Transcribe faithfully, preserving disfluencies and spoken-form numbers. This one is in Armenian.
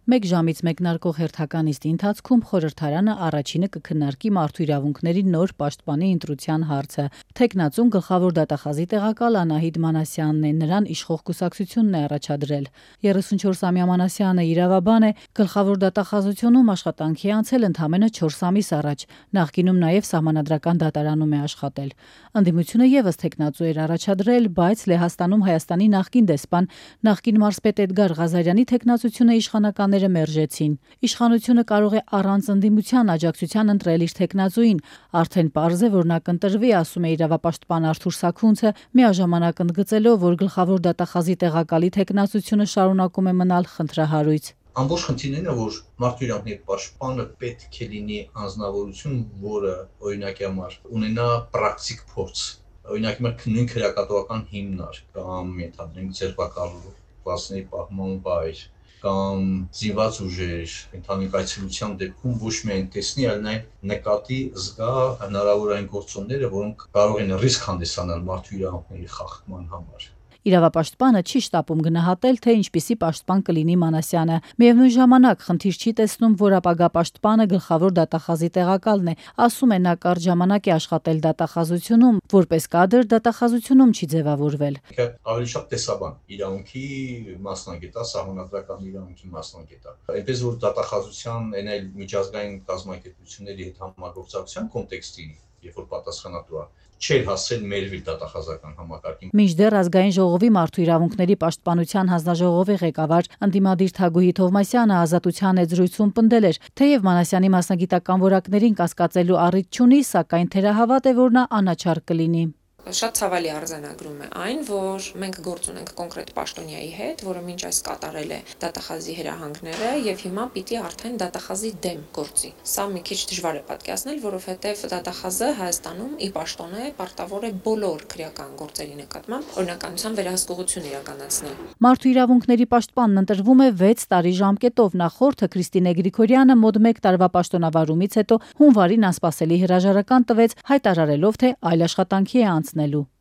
Մեկ ժամից մեկնարկող հերթական նիստի ընթացքում խորհրդարանը առաջինը կքննարկի մարդու իրավունքների նոր պաշտպանի ընտրության հարցը։ Թեկնածուն գլխավոր դատախազի տեղակալ Անահիտ Մանասյանն է, նրան իշխող կուսակցությունն է առաջադրել։ երեսունչորսամյա Մանասյանը իրավաբան է, գլխավոր դատախազությունում աշխատանքի անցել ընդամենը չորս ամիս առաջ, նախկինում նաև սահմանադրական դատարանում է աշխատել։ Ընդդիմությունը ևս թեկնածու էր առաջադրել, բայց Լեհաստանում Հայաստանի նախկին դեսպան, նախկին մարզպետ Էդգար Ղազարյանի թեկնածությունը իշխանականները մերժեցին։ Իշխանությունը կարող է առանց ընդդիմության աջակցության ընտրել իր թեկնածուին, արդեն պարզ է, որ նա կընտրվի, ասում է իրավապաշտպան Արթուր Սաքունցը, միաժամանակ ընդգծելով, որ գլխավոր դատախազի տեղակալի թեկնածությունը շարունակում է մնալ խնդրահարույց։ Ամբողջ խնդիրն է, որ մարդու իրավունքների պաշտպանը պետք է լինի անձնավորություն, որը օրինակի համար ունենա պրակտիկ փորձ, օրինակ նույն քրեակատվական հիմնար կամ ենթադրենք ձերբակալվածների պահպանման վայր կամ զինված ուժեր, ընդհանուր այցելության դեպքում ոչ միայն տեսնի, այլ նաև նկատի զգա հնարավոր այն գործոնները, որոնք կարող են ռիսկ հանդիսանալ մարդու իրավունքների խախտման համար։ Իրավապաշտպանը չի շտապում գնահատել, թե ինչպիսի պաշտպան կլինի Մանասյանը։ Միևնույն ժամանակ խնդիր չի տեսնում, որ ապագա պաշտպանը գլխավոր դատախազի տեղակալն է, ասում է, նա կարճ ժամանակ է աշխատել դատախազությունում, որպես կադր դատախազությունում չի ձևավորվել։ Ավելի շատ տեսաբան, իրավունքի մասնագետ, սահմանադրական իրավունքի մասնագետ։ Այնպես որ դատախազության այն այլ միջազգային կազմակերպությունների հետ համագործակցության կոնտեքստի, երբ որ պատասխանատու է, չէր հասել մեր դատախազական համակարգին։ Մինչդեռ ազգային ժողովի մարդու իրավունքների պաշտպանության հանձնաժողովի ղեկավար ընդդիմադիր Թագուհի Թովմասյանը ազատության էջրույցում պնդել էր, թեև Մանասյանի մասնագիտական որակներին կասկածելու առիթ չունի, սակայն թերահավատ է, որ նա անաչառ կլինի։ Շատ ցավալի արձանագրում է այն, որ մենք գործ ունենք կոնկրետ պաշտոնյայի հետ, որը մինչ այս կատարել է դատախազի հրահանգները եւ հիմա պիտի արդեն դատախազի դեմ գործի։ Սա մի քիչ դժվար է պատկերացնել, որովհետեւ դատախազը Հայաստանում ի պաշտոն է պարտավոր է բոլոր քրեական գործերի նկատմամբ օրինականության վերահսկողություն իրականացնել։ Մարդու իրավունքների պաշտպանն ընտրվում է վեց տարի ժամկետով, նախորդը Քրիստինե Գրիգորյանը մոտ մեկ տարվա պաշտոնավարումից հետո հունվարին անսպասելի հրաժարական տվեց, հայտարարելով, թե այլ աշխատանքի է անցնելու։